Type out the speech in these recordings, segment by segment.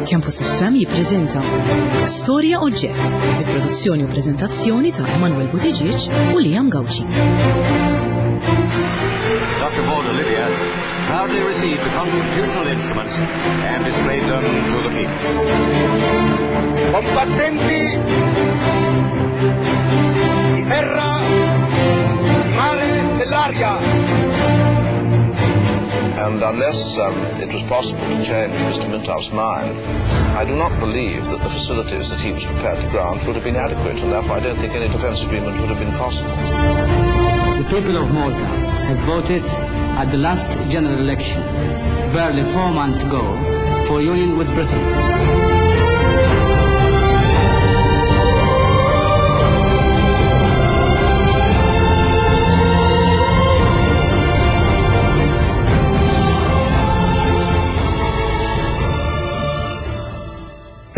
Campus FM jippreżenta Storja Oġġett bi produzzjoni u preżentazzjoni ta' Emanuel Buttigieg u Liam Gauci. Dr. Paul Olivia proudly received the constitutional instruments and displayed them to the people. Combattenti di terra, di mare, dell'aria. And unless um, it was possible to change Mr. Mintoff's mind, I do not believe that the facilities that he was prepared to grant would have been adequate, and therefore I don't think any defence agreement would have been possible. The people of Malta have voted at the last general election, barely four months ago, for union with Britain.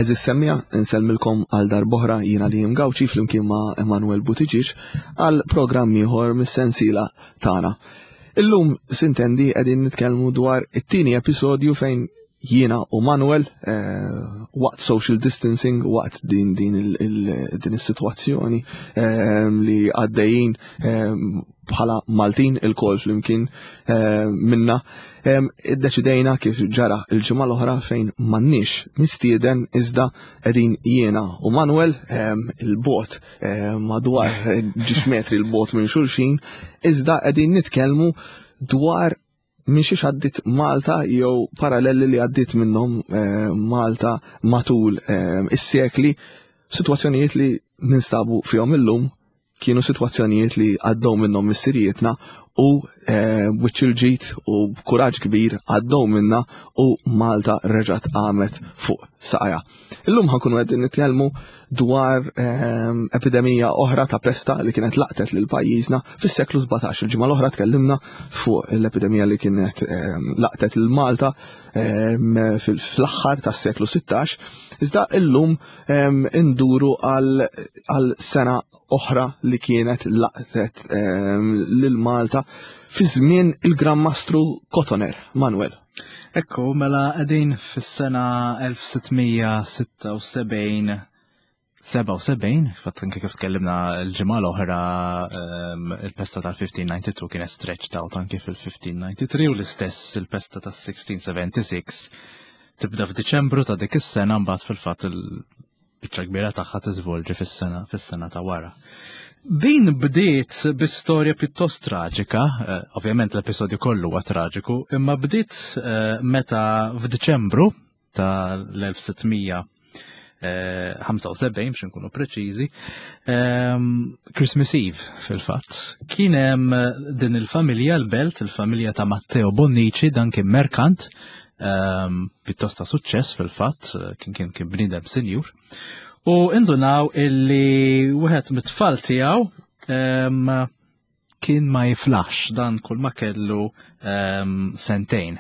Eżis semmija, insellmilkom għal darboħra jiena li Gawċi flimkien ma' Emanuel Buttigieg għal programm ieħor mis-sensiela tagħna. Illum sintendi qegħdin nitkellmu dwar it-tieni episodju fejn jiena u Manuel eh, waqt social distancing, waqt din din din is-sitwazzjoni eh, li għaddejjin eh, bħala Maltin il-kol flimkien minna, iddeċidejna kif ġara il-ġimgħa l-oħra fejn m'għandniex mistieden iżda qegħdin jiena u Manuel il-bot madwar ġiex metri l-bot minn xulxin, iżda qegħdin nitkellmu dwar minn xiex għaddit Malta jew paralleli li għaddit minnhom eh, Malta matul eh, is-sekli, sitwazzjonijiet li ninstabu fihom illum kienu sitwazzjonijiet li għaddew minnhom missirijietna u eh, wiċċ il-ġid u b'kuraġġ kbir għaddew minna u Malta reġgħet qamet fuq saqajha. Illum ħankunu qegħdin nitkellmu dwar ehm, epidemija oħra ta' pesta li kienet laqtet lil pajjiżna fis-seklu 17. Il-ġimgħa l-oħra tkellimna fuq l-epidemija li kienet ehm, laqtet lil Malta ehm, fl-aħħar tas-seklu 16. Iżda illum induru għal sena oħra li kienet laqtet lil Malta fi żmien il-Gran Mastru Cotoner, Manuel. Ekku, mela qegħdin fis-sena 1676 77, fatt anke kif tkellimna l-ġimgħa l-oħra ehm, il-pesta tal-1592 kienet stretched out anke fil-1593 u l-istess il-pesta tas-1676 tibda f'Diċembru ta' dik is-sena mbagħad fil-fatt biċċa kbira tagħha tiżvolġi fis-sena fis-sena ta' wara. Din bdiet bi storja pjuttost traġika, eh, ovvjament l-episodju kollu huwa traġiku, imma bdiet eh, meta f'Diċembru ta' l-1675 eh, biex nkunu preċiżi, ehm, Christmas Eve fil-fatt. Kien hemm din il-familja l-belt, il-familja ta' Matteo Bonnici, dan kien merkant, Ehm, pjuttost ta' suċċess fil-fatt, eh, kien kien kien bniedem sinjur. U indunaw illi wieħed mit-tfal tiegħu ehm, kien ma jiflax dan kull ma kellu ehm, sentejn.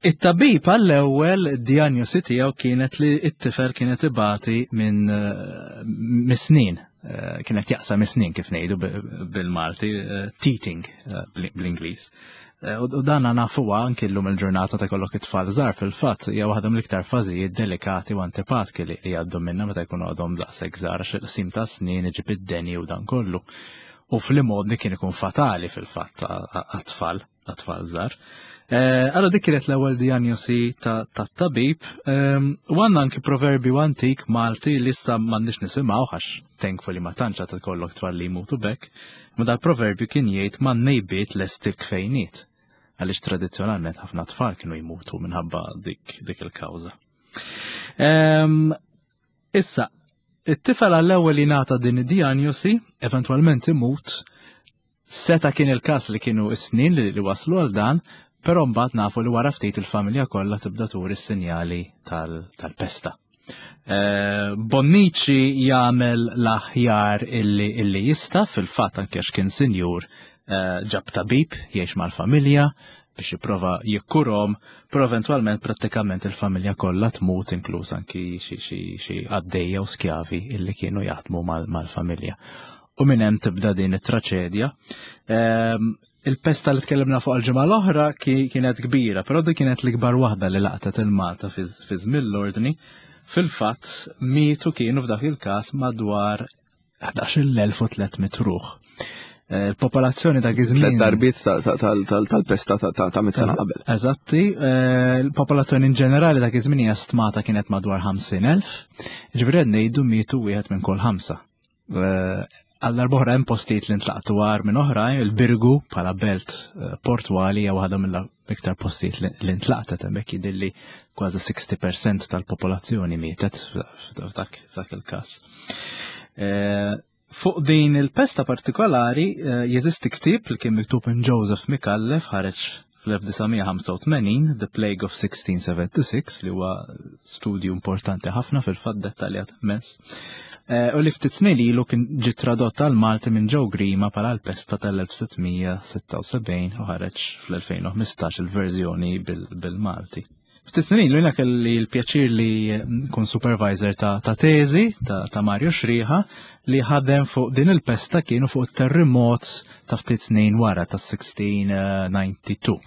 It-tabib għall-ewwel diagnosi tiegħu kienet li t-tifel kienet ibati minn eh, misnin, eh, kienet jaqsa misnin kif ngħidu bil-Malti, teething bl-Ingliż. Eh, u dan nafuha anki llum il-ġurnata ta' kollok it-tfal żgħar fil-fatt hija waħda mill-iktar fażijiet delikati u antipatki li jgħaddu minna meta jkunu għadhom daqshekk żgħar għax il-qsim ta' snin iġib id-deni u dan kollu. U fl-imgħodni kien ikun fatali fil-fatt għat-tfal, għat-tfal żgħar. Eh, allora dik kienet l-ewwel diagnosi tat-tabib ehm, u għandna anki proverbju antik Malti li issa m'għandniex nisimgħu għax thankfully ma tantx għad ikollok tfal li jmutu bekk. Ma dal-proverbju kien jgħid ma nejbiet lest il-kfejniet. Għaliex tradizzjonalment ħafna tfal kienu jmutu minħabba dik, dik il-kawża. Ehm, issa, it-tifel għall-ewwel jingħata din id-diagnosi, eventwalment imut, seta kien il-każ li kienu s-snin li, li waslu għal dan, però mbagħad nafu li wara ftit il-familja kollha tibda turi s-sinjali tal-pesta. Eh, Bonnici jagħmel l-aħjar illi, illi jista' fil-fatt anke għax kien sinjur eh, ġab tabib jgħix mal-familja biex jipprova jikkurhom, però eventwalment prattikament il-familja kollha tmut inkluż anki xi xi għaddejja u skjavi illi kienu jaħdmu mal-familja. U minn hemm tibda din it-traċedja. Il-pesta li tkellimna fuq il-ġimgħa l-oħra kienet kbira, però dik kienet l-ikbar waħda li laqtet il-Malta fi żmien l-ordni. Fil-fatt mietu kienu f'dak il-każ madwar 11,300 ruħ. Il-popolazzjoni dak iż-żmien. Tliet darbiet tal-pesta ta' mit sena qabel. Eżatti, il-popolazzjoni in ġenerali dak iż-żmien hija stmata kienet madwar 50,000. Ġifieri qed ngħidu mietu wieħed minn kull ħamsa. Għal darb'oħra hemm postijiet li ntlaqtu għar minn oħrajn, il-Birgu bħala belt portwali hija waħda mill-iktar postijiet li ntlaqtet hemmhekk jidhirli kważi 60% tal-popolazzjoni mietet f'dak il-każ. Fuq din il-pesta partikolari jeżisti ktieb li kien miktub minn Joseph Micallef ħareġ fl-1985, The Plague of 1676, li huwa studju importanti ħafna fil-fatt dettaljat immens. U li ftit snin ilu kien ġie tradott għal Malti minn Joe Grima bħala l-pesta tal-1676 u ħareġ fl-2015 il-verżjoni bil-Malti. Ftit snin ilu jiena kelli l-pjaċir li nkun supervisor ta' teżi ta' Mario Xriħa li ħadem fuq din il-pesta kienu fuq it-terremot ta' ftit snin wara ta' 1692.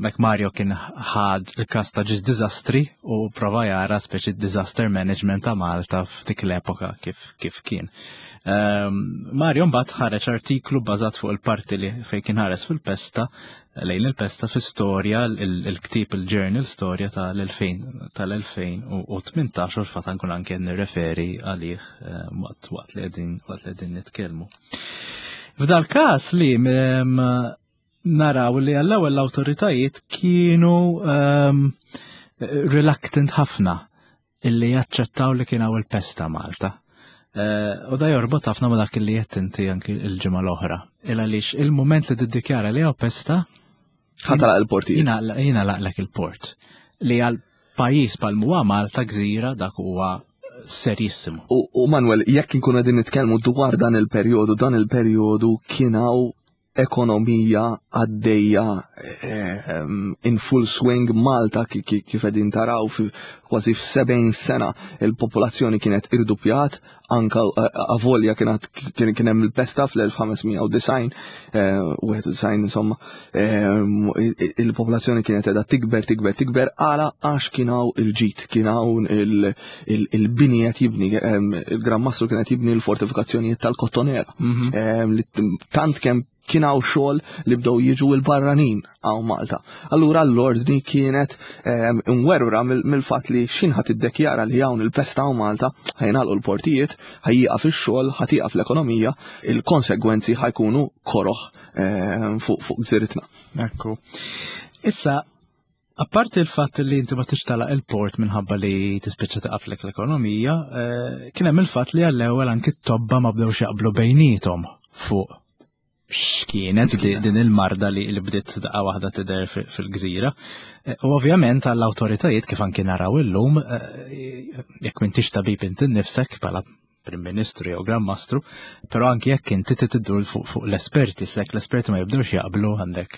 Mek Mario kien ħad il-kas ta' ġis dizastri u prova jara speċi disaster management ta' Malta f'dik l-epoka kif kien. Mario mbagħad ħareġ artiklu bbażat fuq il-parti li fejn kien ħares fil-pesta lejn il-pesta fi storja il-ktieb il-journal storja tal-2018 u l-fatt nkun anke nirreferi għalih waqt li qegħdin nitkellmu. F'dal każ li naraw li għall-ewwel l-awtoritajiet kienu reluctant ħafna illi jaċċettaw li kien hawn il-pesta Malta. U da jorbot ħafna ma dak li qed inti anki l-ġimgħa l-oħra. Il għaliex il-mument li tiddikjara li hawn pesta ħatalaq il-portijiet. Jingħalaqlek il-port. Li għal pajjiż bħal huwa Malta gżira dak huwa serissimu. U Manuel, jekk inkunu qegħdin nitkellmu dwar dan il-perjodu, dan il-perjodu kien hawn ekonomija għaddejja in full swing Malta kif qegħdin taraw kważi f'70 sena il-popolazzjoni kienet irdupjat, anka avolja kien hemm il-pesta fl-1590, wieħed u design, insomma, il-popolazzjoni kienet qiegħda tikber, tikber, tikber, għala għax kien hawn il-ġid, kien hawn il-bini qed jibni, il-Gran Mastru kien qed jibni l-fortifikazzjonijiet tal-Kottonera. Li tant kemm kien hawn xogħol li bdew jiġu l-barranin hawn Malta. Allura l-ordni kienet imwerwra mill-fatt li x'in ħadd iddekjara li hawn il-pesta hawn Malta, ħajnalqu l-portijiet, ħajjieqaf ix-xogħol, ħatieqaf l-ekonomija, il-konsegwenzi ħajkunu koroħ fuq gżiritna. Ekku. Issa, apparti il-fatt li inti ma tixtalaq il-port minħabba li tispiċċa taqaflek l-ekonomija, kien hemm il-fatt li għall-ewwel anki t-tobba ma bdewx jaqblu bejniethom fuq x'kienet din il-marda li bdiet daqqa waħda tidher fil-gżira. U ovvjament għall-awtoritajiet kif anki naraw illum, jekk m'intix tabib inti nnifsek bħala Prim Ministru jew Gran Mastru, però anki jekk inti tiddur fuq l-esperti, se jekk l-esperti ma jibdewx jaqblu għandek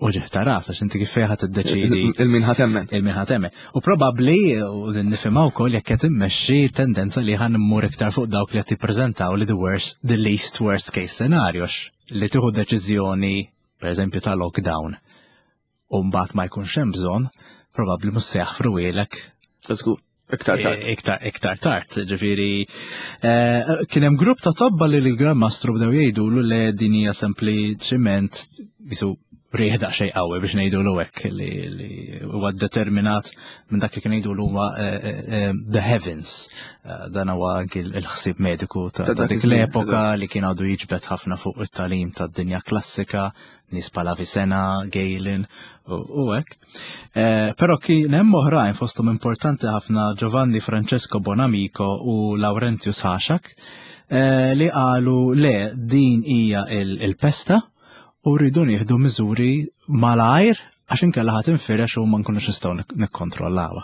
uġigħ ta' ras, għax inti kif fejn ħadd tiddeċiedi. Il-min ħa temmen. Il-min ħa temmen. U probabbli, u din nifhimha wkoll jekk qed immexxi tendenza li ħan immur iktar fuq dawk li qed jippreżentaw li the worst, the least worst case scenario, li tieħu deċiżjoni, per eżempju, ta' lockdown, u mbagħad ma jkunx hemm bżonn, probabbli mhux se jaħfruhielek. Żgur. Iktar tard. Iktar tard, ġifieri, kien hemm grupp ta' tobba li l-Gran Mastru bdew jgħidulu li din hija sempliċiment bisu riħ daqsxejn qawwi biex ngħidulu hekk li huwa determinat minn dak li kien jgħidulu huwa the heavens. Dan huwa anki l-ħsieb mediku Ta' ta' dak dik iż-żmien, l-epoka eżatt. li kien għadu jiġbed ħafna fuq it-talim tad-dinja klassika, nies bħal Avicenna, Galen u hekk. Però kien hemm oħrajn fosthom importanti ħafna Giovanni Francesco Bonamico u Laurentius Haxak li qalu le din hija il-pesta u rridu nieħdu miżuri malajr għax inkella ħadd infirex u ma nkunux nistgħu nikkontrollawha.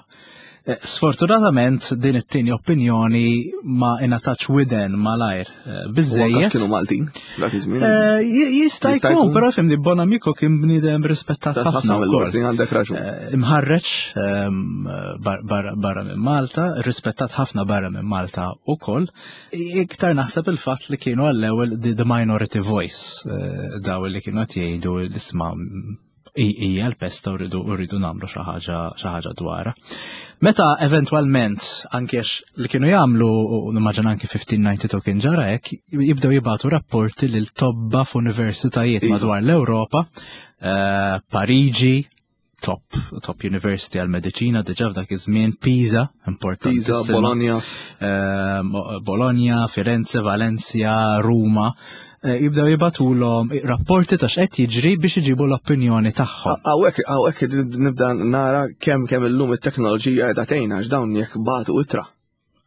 Eh, sfortunatament din it-tieni opinjoni ma ingħatax widen malajr eh, biżejjed. Kienu Maltin dak iż-żmien. Eh, jista' jkun, però fimni Bonamico kien bniedem rispettat ħafna wkoll. Għandek raġun. Imħarreġ ehm, barra minn Malta, rispettat ħafna barra minn Malta ukoll. Iktar naħseb il-fatt li kienu għall-ewwel the minority voice daw li kienu qed jgħidu l-isma' hija l-pesta u rridu rridu nagħmlu xi ħaġa xi ħaġa dwarha. Meta eventwalment anke li kienu jagħmlu u nimmaġina anke 1592 kien ġara hekk, jibdew jibgħatu rapporti lil tobba f'universitajiet iva. madwar l-Ewropa, eh, Pariġi, top, top university għal mediċina diġa f'dak iż-żmien, Pisa, importanti. Pisa, Bologna. Ehm, Bologna, Firenze, Valencia, Ruma. Eh, jibdew jibatulhom rapporti ta' x'qed jiġri biex iġibu l-opinjoni tagħhom. Hawnhekk hawnhekk nibda nara kemm kemm illum it-teknoloġija qiegħda tgħinna għax dawn jekk bagħtu ittra.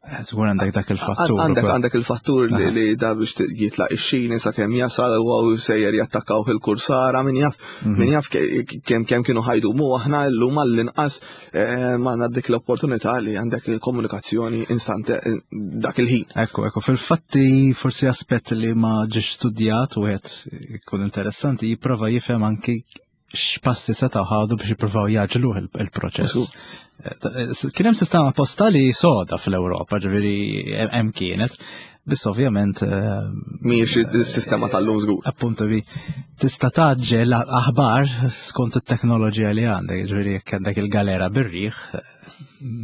Eh, żgur għandek dak il-fattur. Għandek għandek il-fattur li li da biex jitlaq ix-xini sakemm jasal u sejjer jattakkaw il-kursara min jaf mhm. min jaf kemm kemm kienu ħajdu mu aħna llum għall-inqas eh, ma għandna dik l-opportunità li għandek komunikazzjoni instantè eh, dak il-ħin. Ekku, ekku, fil-fatti forsi aspett li ma ġiex studjat u għed ikun interessanti jipprova jifhem anki x'passi setgħu ħadu biex jippruvaw jaġluh il-proċess. Eh, kien hemm sistema postali soda fl-Ewropa, ġifieri hemm kienet, biss ovvjament. Eh, Mhijiex is-sistema tal-lum żgur. Appunto bi tista' taġġel aħbar skont it-teknoloġija li għandek, ġifieri jekk għandek il-galera bir-riħ,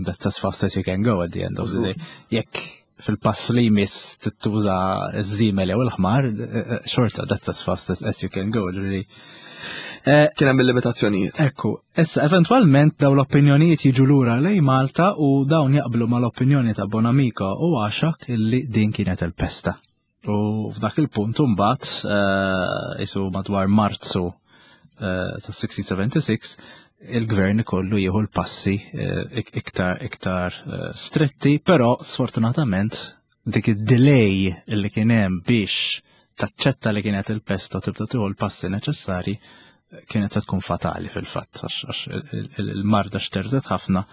that's as fast as you can go at the end of the day. Jekk fil-pass li jmiss tittuża ż-żiemel jew il-ħmar, eh, xorta that's as fast as you can go, ġifieri. Eh, Kien hemm il-limitazzjonijiet. Ekku, issa eventwalment daw l-opinjonijiet jiġu lura lej Malta u dawn jaqblu mal-opinjoni ta' Bonamico u Għaxak illi din kienet il-pesta. U f'dak il-punt imbagħad eh, isu madwar Marzu eh, ta' 1676 il-gvern ikollu jieħu l-passi iktar iktar stretti, però sfortunatament dik id-delay li kien hemm biex taċċetta li kienet il-pesta u tibda tieħu l-passi neċessarji kienet se tkun fatali fil-fatt għax il-marda xterdet ħafna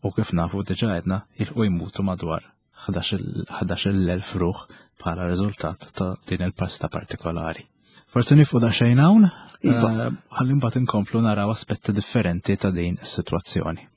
u kif nafu diġà għedna jilqu jmutu madwar 11,000 ruħ bħala riżultat ta' din il-pesta partikolari. Forsi nifqu daqsxejn hawn, iva. eh, ħalli mbagħad inkomplu naraw aspetti differenti ta' din is-sitwazzjoni.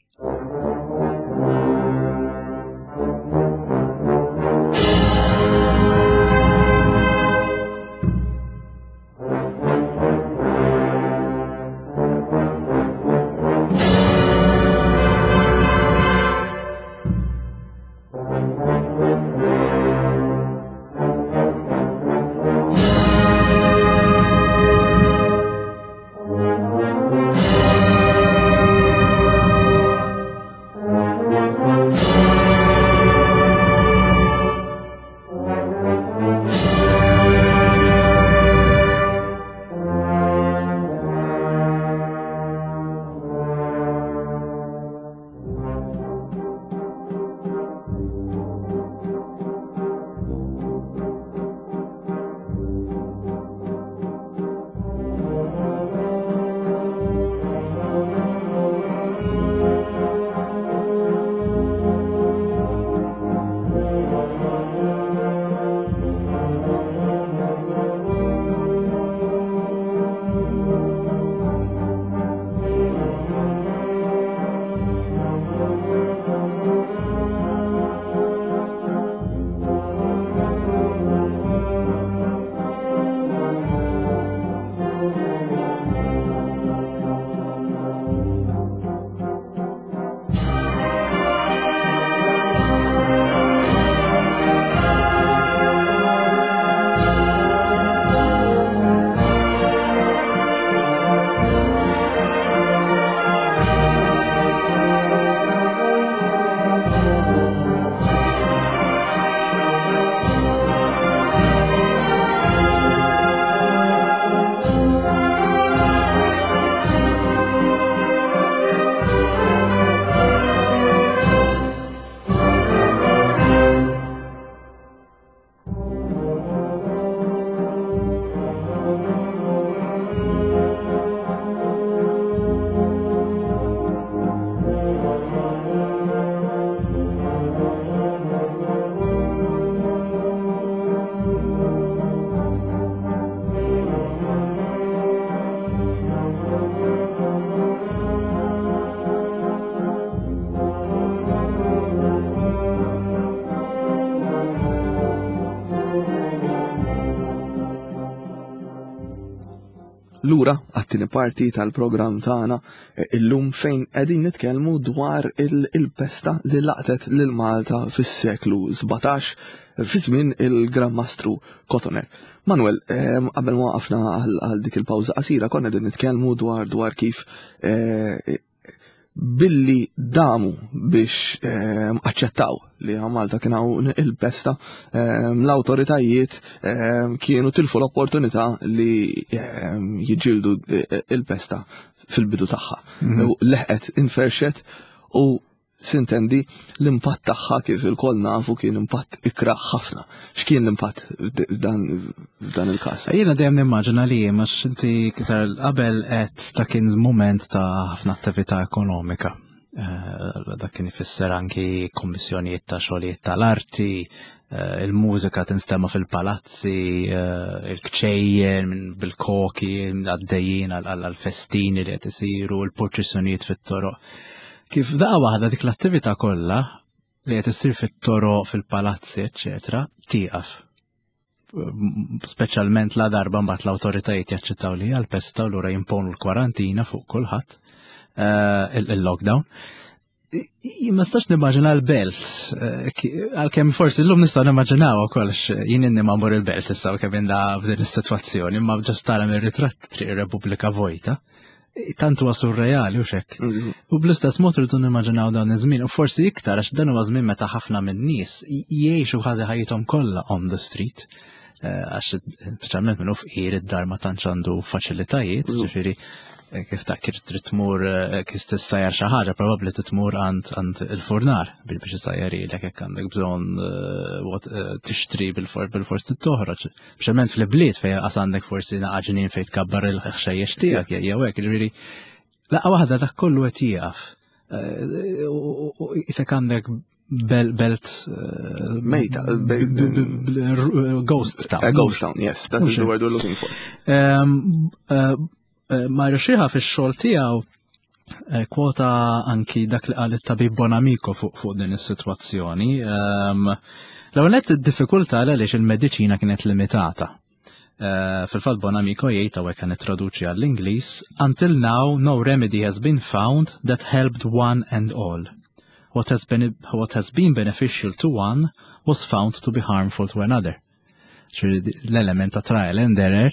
Lura għat-tieni parti tal-programm tagħna eh, illum fejn qegħdin nitkellmu dwar il-pesta li laqtet lil Malta fis-seklu 17 fi żmien il-Gran Mastru Cotoner. Manuel, ehm, qabel ma waqafna għal dik il-pawża qasira konna qegħdin nitkellmu dwar dwar kif eh, billi damu biex ehm, aċċettaw li Malta kien hawn il-pesta, ehm, l-awtoritajiet ehm, kienu tilfu l-opportunità li jiġġieldu eh, il-pesta fil-bidu tagħha. Mhm. Leħqet inferxet u sintendi l-impatt tagħha kif il-koll nafu kien impatt ikra ħafna. X'kien l-impatt f'dan il-każ? Jiena dejjem nimmaġina li għax inti iktar qabel qed ta' kien mument ta' ħafna attività ekonomika. Eh, dak kien ifisser anki kommissjonijiet ta' xogħlijiet tal-arti, eh, il-mużika tinstema fil-palazzi, eh, il-kċejjen bil-koki għaddejjin għal-festini li qed isiru, il-purċissjonijiet fit-toroq. Kif daqqa waħda dik l-attività kollha li qed issir fit-toroq, fil-palazzi, eċetera, tieqaf. Speċjalment la darba mbagħad l-awtoritajiet jaċċettaw li għal pesta u lura jimponu l-kwarantina fuq kulħadd, eh, il-lockdown. Ma stax nimmaġina l-belt, eh, għalkemm forsi llum nistgħu nimmaġinaw ukoll jien inni ma mmur il-belt issa kemm inda f'din is-sitwazzjoni, imma ġast tara mir-ritratt triq ir-Repubblika vojta tant huwa surreali u xekk. Mhm. U bl-istess mod rridu nimmaġinaw dan iż-żmien u forsi iktar għax dan huwa żmien meta ħafna min-nies jgħixu kważi ħajjithom kollha on the street. Eh, għax speċjalment minn fqir id-dar ma tantx għandu faċilitajiet, mhm. ġifieri eh, kif ta' kif trid tmur eh, kif tissajjar xi ħaġa probabbli titmur għand għand il-furnar biex issajjar ilek jekk għandek bżonn tixtri bil-fors toħroġ. Speċjalment fl-bliet fejn qas għandek forsi naqa' ġnien fejn tkabbar il-ħxejjex tiegħek jew hekk, ġifieri laqgħa waħda dak kollu qed jieqaf. Eh, isek għandek belt eh, mejta ghost town. A ghost town, yes, that is the word we're looking for. Ehm, eh, Mario Xiha fix-xogħol tiegħu kwota anki dak li qal it-tabib Bonamico fuq fuq din is-sitwazzjoni. Ehm, l-ewwel nett id-diffikultà għaliex il-mediċina kienet limitata. Eh, fil-fatt Bonamico jgħid hawnhekk kan nittraduċi għall-Ingliż, until now no remedy has been found that helped one and all. What has been, what has been beneficial to one was found to be harmful to another. L-element ta' trial and error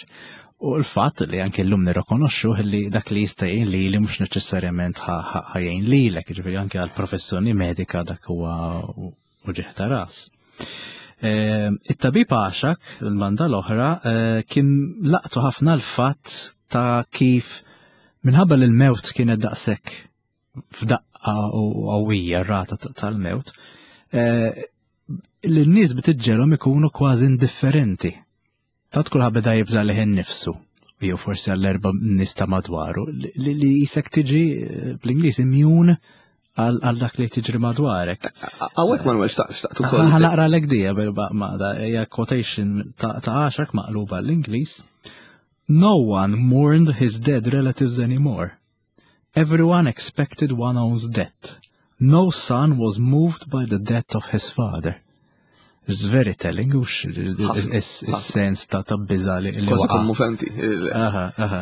u l-fatt li anke llum nirrikonoxxu li dak li jista' jgħin li li mhux neċessarjament ħajjin lilek, jiġifieri anke għal professjoni medika dak huwa uġigħ ta' ras. Ehm, it-tabib għaxak, il-banda l-oħra, eh, kien laqtu ħafna l-fatt ta' kif minħabba li l-mewt kienet daqshekk f'daqqa u qawwija r-rata tal-mewt, eh, l-nies btiġġelhom ikunu kważi indifferenti. Tant kulħadd beda jibża' lih innifsu, jew forsi għall-erba' nies ta' madwaru, li jisek tiġi eh, bl-Ingliż immune għal dak li tiġri madwarek. Għawek Manuel, xtaqt ukoll. Ħanaqra l dija bil-maqda, hija quotation ta' għaxak maqluba l-Ingliż. No one mourned his dead relatives anymore. Everyone expected one own's death. No son was moved by the death of his father. It's very telling, ux il-sens ta' ta' biza li. Kważi kommuventi. Aha, aha.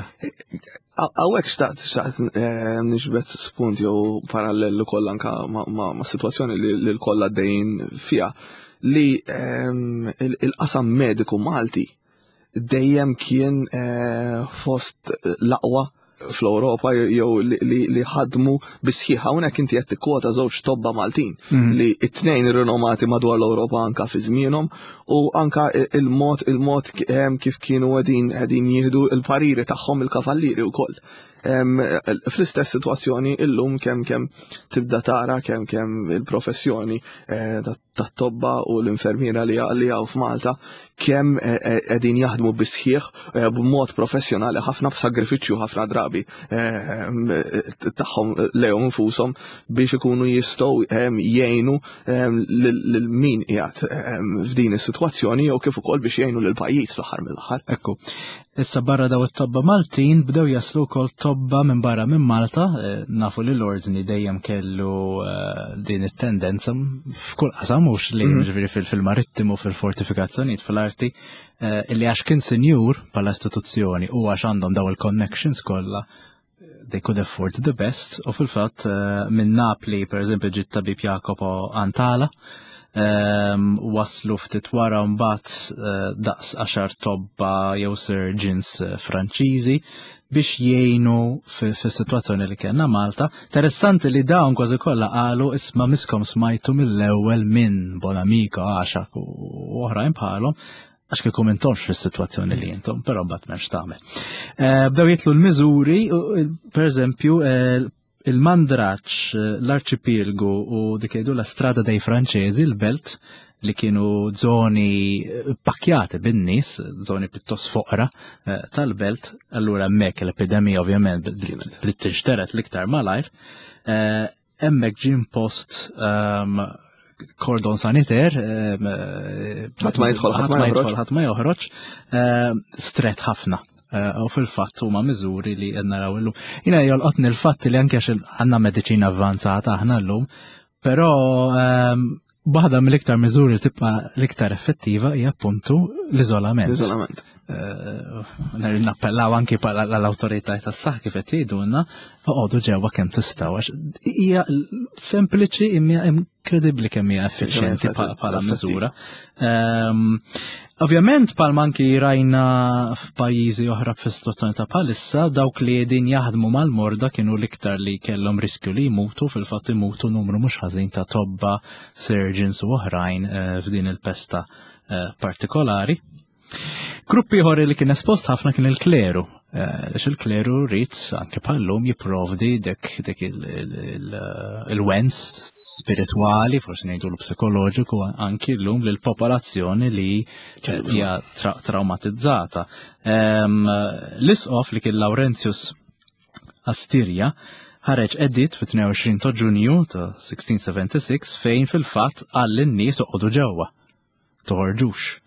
Għawek xtaqt, xtaqt eh, nixbet spunt jew parallellu kollha anka ma' situazzjoni li l-kollha dejn fija li ehm, il-qasam mediku Malti dejjem kien eh, fost l-aqwa fl-Ewropa jew li ħadmu bisħiħ. Hawnhekk inti qed tikkwota żewġ tobba Maltin mhm. li t-tnejn rinomati madwar l-Ewropa anka fi żmienhom u anka il-mod il-mod ehm, kif kienu qegħdin qegħdin jieħdu l-pariri tagħhom il-kavallieri wkoll. Ehm, fl-istess sitwazzjoni illum kemm kemm tibda tara kemm kemm il-professjoni eh, tat-tobba u l-infermiera li li hawn f'Malta kemm eh, eh, qegħdin jaħdmu bisħieħ eh, b'mod professjonali ħafna b'sagrifiċċju ħafna drabi tagħhom lejhom infushom biex ikunu jistgħu jgħinu lil min qiegħed f'din is-sitwazzjoni jew kif ukoll biex jgħinu lil pajjiż fl-aħħar mill-aħħar. Ekku. Issa barra daw it-tobba Maltin bdew jaslu wkoll tobba minn barra minn Malta, eh, nafu li l-ordni dejjem kellu eh, din it-tendenza f'kull qasam mhux li mhm. ġifieri fil-marittimu, fil-fortifikazzjonijiet, fil-arti, eh, illi għax kien sinjur bħala istituzzjoni u għax għandhom daw il-connections kollha they could afford the best u fil-fatt eh, minn Napli per eżempju ġiet tabib Jacopo Antala ehm, waslu ftit wara mbagħad eh, daqs għaxar tobba jew surgeons eh, Franċiżi biex jgħinu fis-sitwazzjoni li kellna Malta. Interessanti li dawn kważi kollha qalu isma' miskom smajtu mill-ewwel minn Bonamico għaxak u oħrajn bħalhom għax kieku m'intomx fis-sitwazzjoni li intom, però mbagħad m'hemmx tagħmel. Eh, bdew jitlu l-miżuri, per eżempju, eh, il-Mandraċ, eh, l-Arċipilgu u dik jgħidu la Strada dei Franċesi, l-belt, li kienu zoni pakjati bin-nies, zoni pjuttost foqra tal-belt, allura hemmhekk l-epidemija ovvjament bdiet tinxteret l-iktar malajr. Hemmhekk ġie impost ehm, kordon saniter, ehm, ħadd ma jidħol, ħadd ma joħroġ, ħadd ma joħroġ, ehm, stret ħafna. Eh, u fil-fatt huma miżuri li qed naraw illum. Jiena jolqotni l-fatt li anke għandna mediċina avvanzata aħna llum, però Waħda mill-iktar miżuri li tibqa' l-iktar effettiva hija appuntu l-iżolament. L-iżolament. Eh, nappellaw anki l-awtorità tas-saħħa kif qed jgħidulna, oqogħdu ġewwa kemm tistgħu għax hija sempliċi imma inkredibbli kemm hija effiċjenti bħala miżura. Ehm, ovvjament bħal anki rajna f'pajjiżi oħra fis-situazzjoni ta' bħalissa dawk li qegħdin jaħdmu mal-morda kienu l-iktar li kellhom riskju li jmutu fil-fatt imutu numru mhux ħażin ta' tobba, surgeons u oħrajn eh, f'din il-pesta eh, partikolari. Grupp ieħor li kien espost ħafna kien il-kleru. Eh, għax il-kleru rrit anke bħallum jipprovdi dik dik il-wens spiritwali, forsi ngħidu l-psikoloġiku anki llum lill-popolazzjoni li hija traumatizzata. Ehm, l-isqof li kien Laurentius Astirja ħareġ edit fit-22 ta' Ġunju ta' 1676 fejn fil-fatt qal lin-nies oqogħdu ġewwa. toħorġux.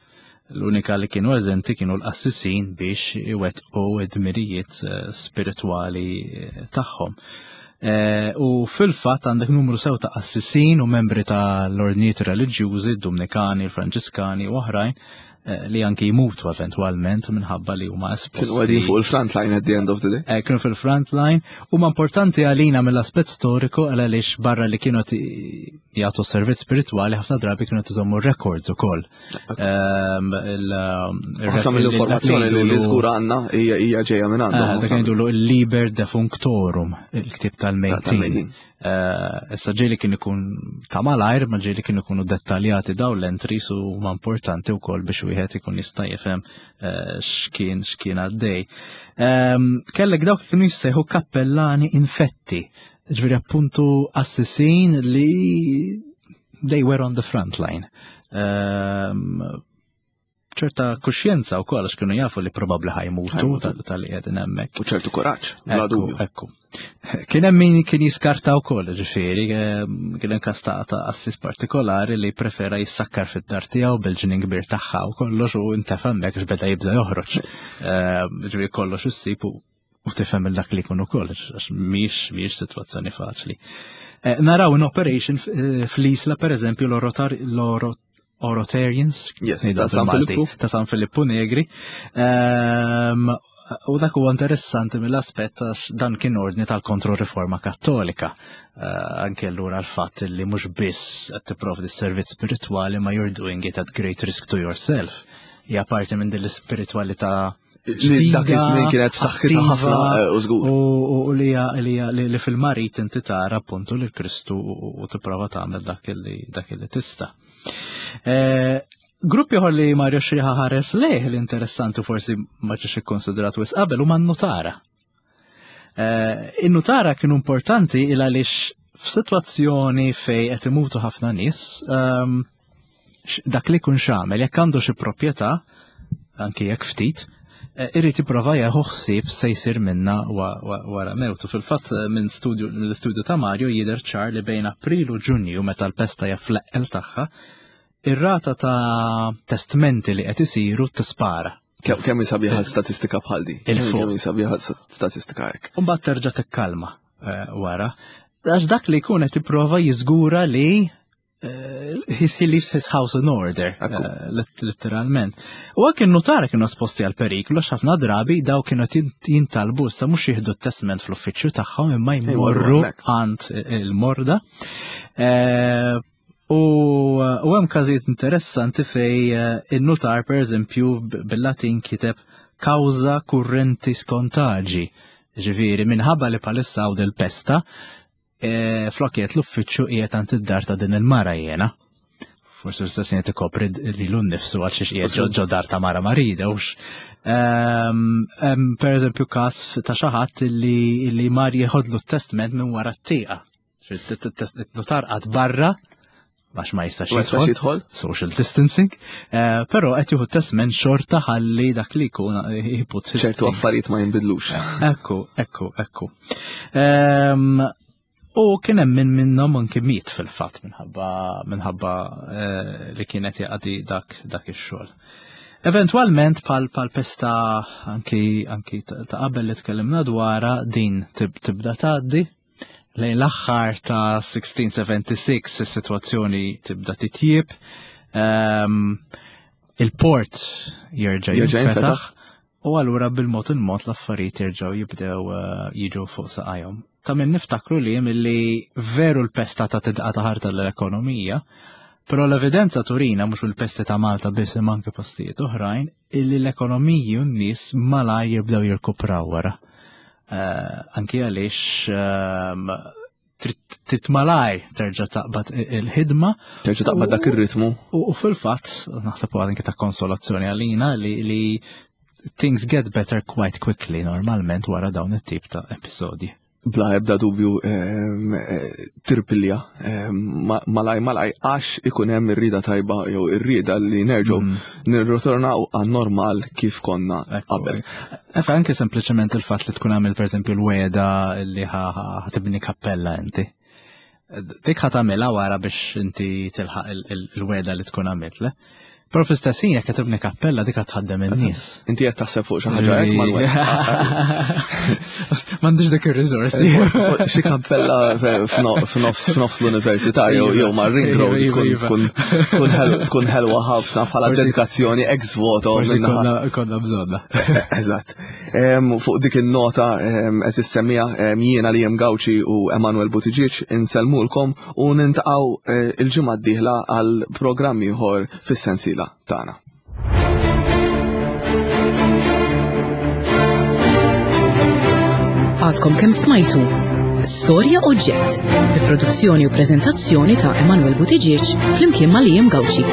L-unika li kienu eżenti kienu l-qassisin biex iwettqu id-dmirijiet eh, spiritwali eh, tagħhom. Eh, u fil-fatt għandek numru sew ta' qassisin u membri ta' l-ordnijiet reliġjużi, Dumnikani, Franġiskani u oħrajn, li anki jmutu eventwalment minħabba li huma esposti. Kienu għedin fuq il-front line at the end of the day. Eh, kienu fil-front line. Huma importanti għalina mill-aspett storiku għaliex barra li kienu jagħtu servizz spiritwali ħafna drabi kienu tiżommu records ukoll. Ehm, ħafna mill-informazzjoni li żgur għandna hija ġejja minn għandhom. Eh, dak ngħidulu il-Liber Defunctorum, il-ktieb tal-mejtin. Eh, issa ġieli kien ikun ta' malajr, ma ġieli kien ikunu dettaljati daw l-entries u ma importanti wkoll biex wieħed ikun jista' jifhem eh, x'kien x'kien għaddej. Ehm, kellek dawk kienu jissejħu kappellani infetti Ġviri appuntu assisin li they were on the front line. Ehm, ċerta kuxjenza u koll, għax kienu jafu li probabli ħajmutu tal-li għedin hemmhekk. U ċertu kuraġġ, bla dubju. Ekku. Kien hemm min kien jiskarta wkoll, ġifieri, ehm, kien hemm każ ta' assis partikolari li prefera jissakkar fid-dar tiegħu bil-ġnien kbir tagħha u kollox u intefa' hemmhekk għax beda jibża' joħroġ. Ehm, ġifieri kollox issib u u tifhem il dak li jkun ukoll, għax mhix mhix sitwazzjoni faċli. Eh, naraw in operation eh, fl-Isla per eżempju l-Orotarians yes, ta' San Filippu. Ta' San Filippu Negri. Ehm, u dak huwa interessanti mill-aspett għax dan kien ordni tal-kontroriforma kattolika. Eh, anke allura l-fatt li mhux biss qed tipprovdi servizz spiritwali ma you're doing it at great risk to yourself. Hija parti minn din l-ispiritwalità Li dak iż-żmien kienet b'saħħitha ħafna eh, u żgur. U li li fil-marit inti tara appuntu lil Kristu u tipprova tagħmel dak li dak li tista'. Eh, grupp ieħor li Mario Xriħa ħares lejh li interessanti forsi ma ġiex ikkonsidrat wisq qabel huma n-nutara. Eh, in-nutara kienu importanti il għaliex f'sitwazzjoni fej qed imutu ħafna nies, ehm, dak li kun xamel, jekk għandu xi proprjetà, anki jekk ftit, eh, irrid jipprova jieħu ħsieb se jsir minna wara mewtu. Fil-fatt eh, minn studju mill-istudju ta' Mario jidher ċar li bejn April u Ġunju meta l-pesta hija fl-eqqel tagħha, ir-rata ta' testmenti li qed isiru tispara. Kemm sabiħa statistika bħal di? Kemm sabiħa statistika hekk. U mbagħad terġa' tikkalma eh, wara. Għax dak li jkun qed jipprova jiżgura li eh, he leaves his house in order, eh, letteralment. U għak il-notara kienu esposti għal periklu, għax ħafna drabi daw kienu jintalbu issa mhux jieħdu t-testament fl-uffiċċju tagħhom imma jmorru għand il-morda. Eh, u hemm każijiet interessanti fej in-notar pereżempju bil-Latin kiteb causa currentis contagi. Ġifieri minħabba li palissa hawn il-pesta, E, flok qiegħed l-uffiċċju qiegħed għand id-dar ta' din il-mara jiena. Forsi l-istess qed ikopri lilu nnifsu għal xiex qiegħed ġo dar ta' mara marida hux. Ehm, per eżempju każ ta' xi ħadd li mar jieħodlu t-testment minn wara t-tieqa. Notar qatt barra għax ma jistax jidħol, social distancing, eh, però qed jieħu testment xorta ħalli dak li jkun eh, jiput ċertu affarijiet ma jinbidlux. Ekku, ekku, ekku. Ehm, u kien hemm minn minnhom anki miet fil-fatt minħabba minħabba eh, li kienet jaqdi dak dak ix-xogħol. Eventwalment pal pal pesta anki anki ta' qabel li tkellimna dwarha din tibda tgħaddi Lejn l-aħħar ta' 1676 is-sitwazzjoni tibda titjib. Ehm, il-port jerġa' jinfetaħ u allura bil-mod il-mod l-affarijiet jerġgħu jibdew eh, jiġu fuq saqajhom. Ta' min niftakru li milli veru l-pesta ta' tidqa ta' ħarta l-ekonomija, però l-evidenza turina mhux bil-pesti ta' Malta biss imma anke postijiet oħrajn illi l-ekonomiji u n-nies malajr jibdew jirkupraw wara. Eh, anki għaliex ehm, trid malaj terġa' taqbad il-ħidma. Terġa' taqbad dak ir-ritmu. U fil-fatt, naħseb anke ta' konsolazzjoni għalina li things get better quite quickly normalment wara dawn it-tip ta' episodji bla ebda dubju ehm, eh, tirpilja ehm, malaj malaj għax ikun hemm ir-rida tajba jew ir-rieda li nerġgħu mm. nirritornaw għan-normal kif konna qabel. Efa anke sempliċement il-fatt li tkun għamil pereżempju l-weda li ħatibni kappella inti. Dik ħatamilha wara biex inti tilħaq il-weda li tkun għamilt, le? Però fl-istess ħin jekk tibni kappella dik tħaddem in-nies. Inti qed taħseb fuq xi ħaġa hekk mal M'għandix dik ir-riżorsi. Xi kappella f'nofs l-università jew mar-ring road tkun ħelwa ħafna bħala dedikazzjoni ex voto. Konna bżonna. Eżatt. Fuq dik in-nota eżis semmija jiena li jem Gawċi u Emanuel Buttigieg insellmulkom u nintaqgħu eh, il-ġimgħa d-dieħla għal programm ieħor fis-sensiela tagħna. Għadkom kemm smajtu Storja Oġġett, bi produzzjoni u preżentazzjoni ta' Emanuel Buttigieg flimkien ma' Liam Gauci.